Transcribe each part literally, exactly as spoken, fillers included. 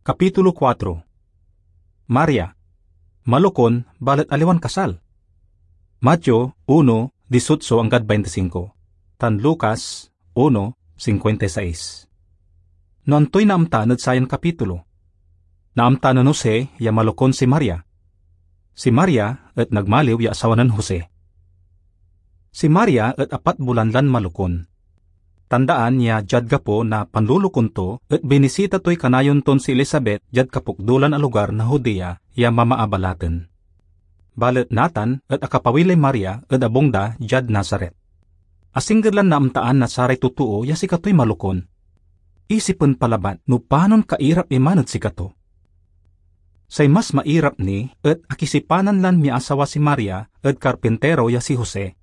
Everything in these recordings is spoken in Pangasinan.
Kapitulo kuatro. Maria, malokon balet aliwan kasal. Mateo uno, dieciocho anggad baintisingko, tan Lucas uno, cincuenta y seis. No antoy naamtaan ed sayan kapitulo? Naamtaan nen Jose ya malokon si Maria. Si Maria et nagmaliw ya asawa nen Jose. Si Maria et apat bulan lan malokon. Tandaan ya diad gapo na panlolokon to et binisita toy kanayon ton si Elisabet diad kapokdolan a lugar na Judea ya mamaabalaten. Balet natan et akapawi lay Maria ed abung da diad Nazaret. Asingger lan naamtaan na saray totoo ya sikatoy malokon. Isipen pa labat no panon kairap iman ed sikato. Say mas mairap ni et akisipanan lan miasawa si Maria ed karpintero ya si Jose.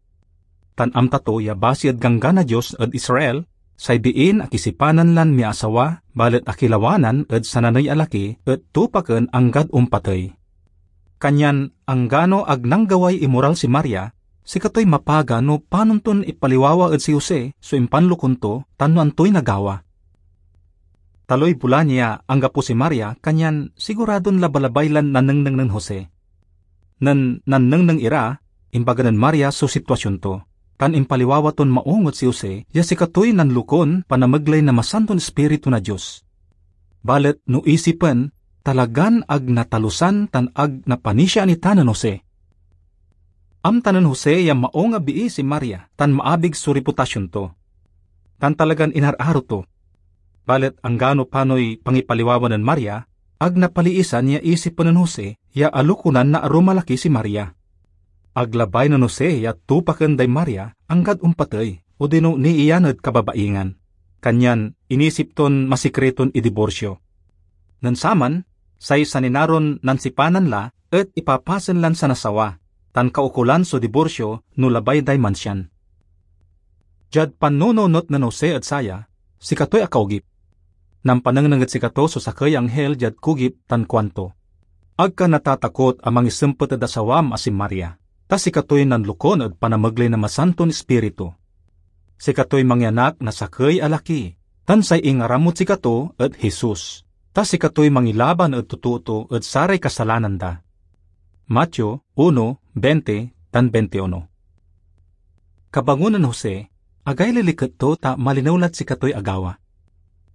Tan amta to ya basi ed Ganggan na Dios ed Israel, say biin akisipanan lan miasawa balet akilawanan ed sananey a laki et tupaken anggad ompatey. Kanyan anggano ag nanggaway imoral si Maria, sikatoy mapaga no panon ton ipaliwawa ed si Jose so impanlokon to tan no antoy nagawa. Taloy bulan ya anggapo si Maria, kanyan siguradon labalabay lan nanengneng nen Jose. Nen nannengneng ira, imbaga nen Maria so sitwasion to, tan impaliwawa ton maong ed si Jose ya sikatoy nanlokon panamegley na Masanton Ispiritu na Dios. Balet no isipen, talagan ag natalusan tan ag napanisiaan ita nen Jose. Amta nen Jose ya maong a bii si Maria tan maabig so reputasion to. Tan talagan inararo to. Balet anggano panoy pangipaliwawa nen Maria, ag napaliisan ya isipen nen Jose ya alokonan na arum a laki si Maria. Ag labay nen Jose ya tupaken day Maria anggad ompatey odino niiyan ed kababaingan. Kanyan inisip ton masikriton idiborsyo. Nen saman, say saninaron nansipanan la et ipapasen lan sanasawa, tan kaukolan so diborsyo no labay day mansian. Diad pannununot nen Jose ed saya, sikatoy akaogip. Nampanengneng ed sikato so sakey ya anghel diad kugip tan kuanto, "Ag ka natatakot a mangisempet ed asawam a si Maria, ta sikatoy nanlokon ed panamegley na Masanton Ispiritu. Sikatoy mangianak na sakey a laki, tan say ingaramod sikato et Jesus, ta sikatoy mangilaban ed totoo to ed saray kasalanan da." Mateo uno, veinte tan veintiuno. Kabangon nen Jose, agay liliket to ta malinew lad sikatoy agawa.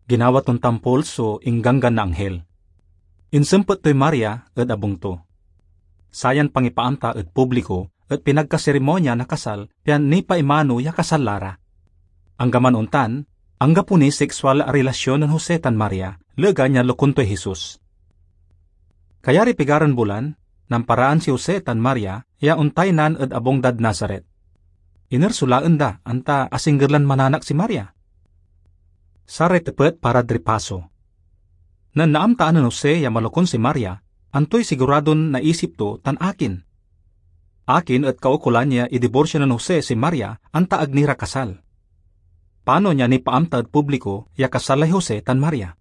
Ginawa ton tampol so ingganggan na anghel. Insempet toy Maria ed abung to. Sayan pangipaamta ed publiko et pinagkaserimonia na kasal pian nipaimano ya kasal la ra. Anggaman ontan, anggapo niy seksual a relasyon nen Jose tan Maria, legan ya lokon toy Jesus. Kayariy pigaran bulan, namparaan si Jose tan Maria ya ontaynan ed abung dad Nazaret. Iner so laen da, anta asingger lan mananak si Maria? Saray tepet parad ripaso. Nen naamtaan nen Jose ya malokon si Maria, antoy siguradon naisip to tan akin? Akin et kaukolan ya idiborsyo nen Jose si Maria anta ag ni ra kasal? Panon ya nipaamta ed publiko ya kasal lay Jose tan Maria?